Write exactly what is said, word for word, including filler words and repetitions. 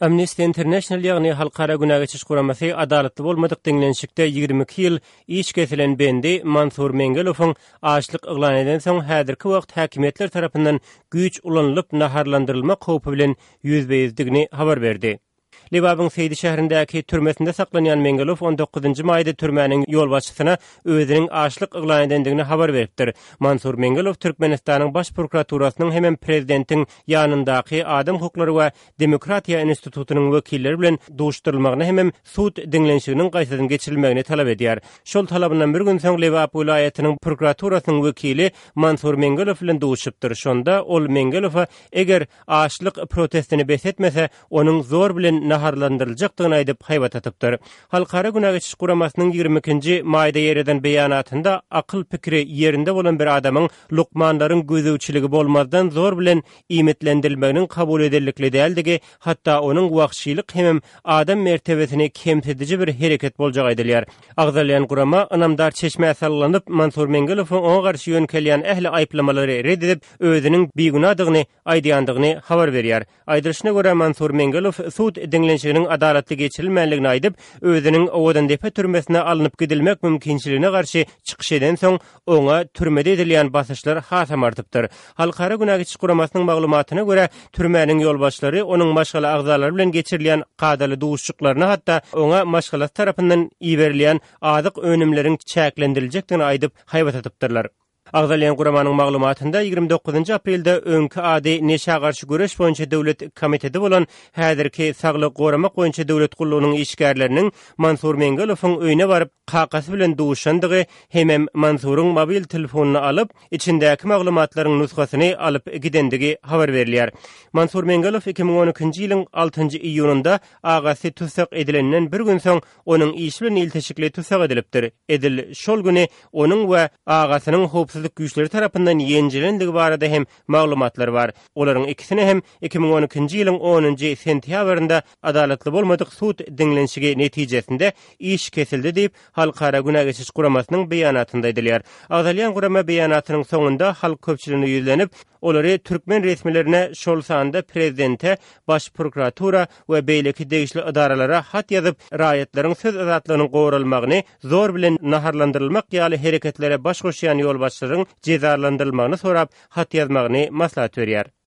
Amnesty International, ýagny Halkara Günä geçiş guramasy adalatly bolmadyk diňlenişikde ýigrimi iki ýyl iş kesilen bendi Mansur Mengelowyň açlyk yglan edensoň häzirki wagt häkimiýetler tarapyndan güýç ulanylyp naharlandyrylmak howpy bilen ýüzbe-ýüzdigini habar berdi. Lebabyň Seýdi şäherindäki türmesinde saklanýan Mengelow on dokuzynjy maýda türmäniň ýolbaşçysyna özüniň açlyk yglan edendigini habar beripdir. Mansur Mengelow Türkmenistanyň Baş prokuraturasynyň hemem prezidentiň ýanyndaky Adam hukuklary we demokratiýa institutynyň wekilleri bilen duşuşdyrylmagyny hemem sud diňlenişiginiň gaýtadan geçirilmegini talap edýär. Şol talabyndan bir gün soň Lebap welaýatynyň prokuraturasynyň wekili Mansur Mengelow bilen duşupdyr. Şonda ol Mengelowa eger açlyk protestini bes etmese, onuň zor bilen naharlandyryljakdygyny aýdyp haýbat atypdyr. Halkara Günä geçiş guramasynyň ýigrimi ikinji maýda ýereden beýanatynda akyl pikiri ýerinde bolan bir adamyň lukmanlaryň gözegçiligi bolmazdan zor bilen iýmitlendirilmeginiň kabul ederlikli däldigi, hatda onuň wagşylyk hemem adam mertebesini kemsidiji bir hereket boljagy aýdylýar. Agzalýan gurama ynamdar çeşmä salgylanyp, Mansur Mengelowyň oňa garşy ýönkelýän ähli aýyplamalary red edip, özüniň bigünadygyny aýdýandygyny habar berýär. Aýdylyşyna görä, Mansur Mengelow sud diňlenişiginiň adalatly geçirilmänligini aýdyp, özüniň Owadandepe türmesine alnyp gidilmek mümkinçiligine garşy çykyş edensoň, oňa türmede edilýän basyşlar hasam artypdyr. Halkara Günä geçiş guramasynyň maglumatyna görä, türmäniň ýolbaşçylary onuň maşgala agzalary bilen geçirilýän kadaly duşuşyklaryna, hatda oňa maşgalasy tarapyndan iberilýän azyk önümleriň çäklendiriljekdigini aýdyp, haýbat atypdyrlar. Agzalýan guramanyň maglumatynda ýigrimi dokuzynjy aprelde öňki ady Neşä garşy göreş boýunça döwlet komiteti bolan häzirki Saglygy goramak boýunça döwlet gullugynyň işgärleriniň Mansur Mengelowyň öýüne baryp, kakasy bilen duşandygy hemem Mansuryň mobil telefonyny alyp, içindäki maglumatlaryň nusgasyny alyp gidendigi habar berilýär. Mansur Mengelow iki müň on ikinji ýylyň altynjy iýunynda agasy tussag edilenden bir gün soň onuň işi bilen ilteşikli tussag edilipdir. Edil şol güni onuň we agasynyň howpsuzlyk güýçleri tarapyndan ýenjilendigi barada hem maglumatlar bar. Olaryň ikisini hem iki müň on ikinji ýylyň onunjy sentýabrynda adalatly bolmadyk sud diňlenişigi netijesinde iş kesildi diýip, Halkara Günä geçiş guramasynyň beýanatynda aýdylýar. Agzalýan gurama beýanatynyň soňunda halk köpçüligine ýüzlenip, olary türkmen resmilerine, şol sanda prezidente, baş prokuratura we beýleki degişli edaralara hat ýazyp, raýatlaryň söz azatlygynyň goralmagyny, zor bilen naharlandyrylmak ýaly hereketlere baş goşýan ýolbaşçylaryň jezalandyrylmagyny sorap hat ýazmagyny maslahat berýär.